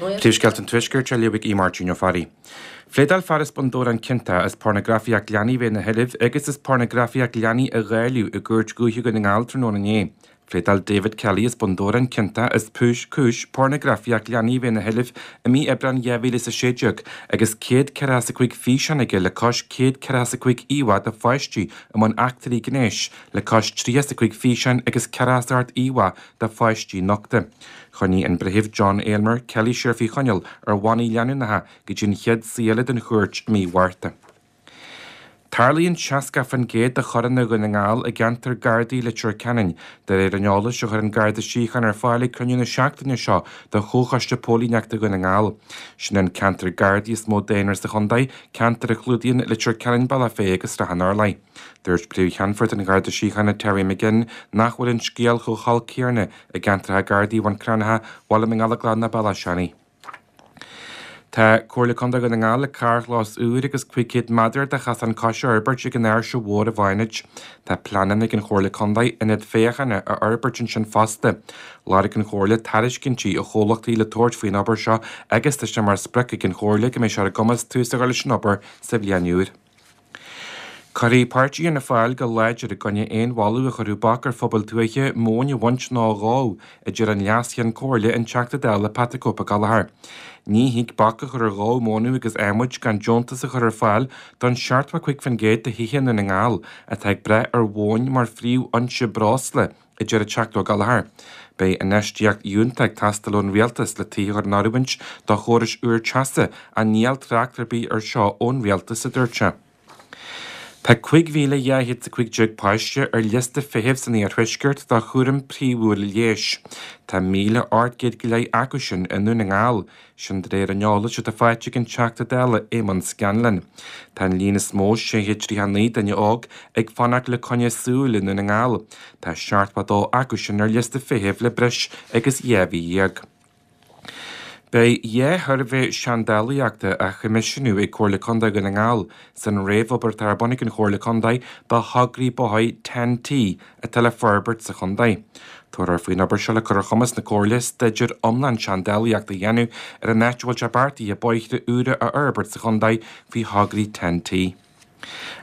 Príomhscéalta an Tuaiscirt á léamh ag Aodh Máirtín Ó Fearraigh. Phléadáil fear as Bun Dobhráin ciontach as pornagrafaíocht leanaí a bheith ina sheilbh agus as pornagrafaíocht leanaí a dháileadh i gCúirt Dhúiche Dhún na nGall tráthnóna inné. Phléadáil David Kelly as Bun Dobhráin ciontach as cúis pornagrafaíocht leanaí a bheith ina sheilbh i mí Aibreáin 2016 agus 145 físeán aige le cois 145 íomhá de pháistí i mbun eachtraí gnéis le cois 35 físeán agus 48 íomhá de pháistí nochta. Choinnigh an Breitheamh John Aylmer Kelly siar faoi choinneáil ar bhannaí leanúnacha go dtí an chéad suí eile den chúirt i mí Mhárta. Tarlaíonn 60% de choireanna Dhún na nGall i gceantar Gardaí Leitir Ceanainn, de réir an eolais a chuir an Garda Síochána ar fáil ag cruinniú na seachtaine seo de Chomhchoiste Póilíneachta Dhún na nGall. Sin an ceantar Gardaí is mó daonra sa chontae, ceantar a chlúdaíonn Leitir Ceanainn, Bealach Féich agus Srath an Urláir. Dúirt Príomh-Cheannfort an Gharda Síochána Terry McGinn nach bhfuil an scéal chomh holc céanna i gceantracha Gardaí Bhun Cranncha, Bhaile na nGallóglach ná Bealach Seanaidh. Tá Comhairle Contae Dhún na nGall le carrchlós úr agus 500 méadar de chosán coise a fhorbairt ag an Áirse Mhór i bhFánaid. Tá pleananna ag an Chomhairle Contae ionad féachana a fhorbairt ansin fosta. Lorg an Chomhairle tairiscintí ó chomhlachtaí le tabhairt faoin obair seo agus tá sé mar sprioc ag an Chomhairle go mbeidh sé ar a gcumas tús a chur leis an obair sa bhliain úr. Cuirfidh páirtí Fhianna Fáil go láidir i gcoinne aon mholadh a chuirfeadh bac ar phobail tuaithe móin a bhaint nó a dhó, a deir an Leas-Cheann Comhairle, an Teachta Dála Patrick Ó Gallchóir. Ní thig bac a chur ar dhó mónadh agus adhmaid gan deontas a chur ar fáil don 75% de thithe i nDún na nGall atá ag brath ar mhóin mar phríomhfhoinse breosla, a deir an Teachta Ó Gallchóir. Beidh infheistíocht fhiúntach ag teastáil ón Rialtas le tithe a chur in oiriúint do chórais úr teasa ach níl trácht ar bith ar seo ón Rialtas, a dúirt sé. Tá 5,215 páiste ar liosta feithimh san iarthuaisceart do chúram príomhúil leighis. Tá 1,800 go leith acu sin i nDún na nGall, Sin de réir an eolais atá faighte ag an Teachta Dála Éamonn Scanlon. Tá an líon is mó, 639 duine óg, ag fanacht le coinne súl i nDún na nGall. Tá 72 acu sin ar liosta feithimh le breis agus 12 mhí. Beidh 2 shuirbhé seandálaíochta á choimisiúnú ag Comhairle Contae Dhún na nGall san réamhobair atá ar bun ag an Chomhairle Contae do thograí bóthair TEN-T atá le forbairt sa chontae. Tabharfar faoin obair seo le cur ar chumas na Comhairle staidéar iomlán seandálaíochta a dhéanamh ar an áit a bhfuil sé beartaithe bóithre úra a fhorbairt sa chontae faoi thograí TEN-T.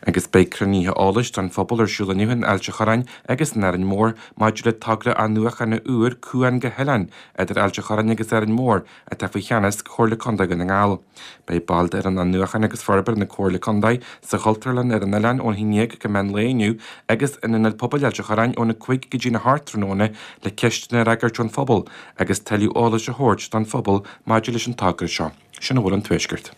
Agus beidh cruinnithe eolais don phobal ar siúl inniu in Ailt a' Chorráin agus in Árainn Mhór maidir le togra athnuachana úr cuan go hoileán idir Ailt a' Chorráin agus Árainn Mhór atá faoi cheannas Chomhairle Contae Dhún na nGall. Beidh baill d'fhoireann athnuachan agus forbartha na Comhairle Contae sa Chultúrlann ar an oileán ón 11 go meán lae inniu agus in Ionad Pobail Ailt a' Chorráin óna 5 go dtína 8 tráthnóna le ceisteanna a fhreagairt ón phobal agus tuilleadh eolais a thabhairt don phobal maidir leis an togra seo. Sin a bhfuil ón Tuaisceart.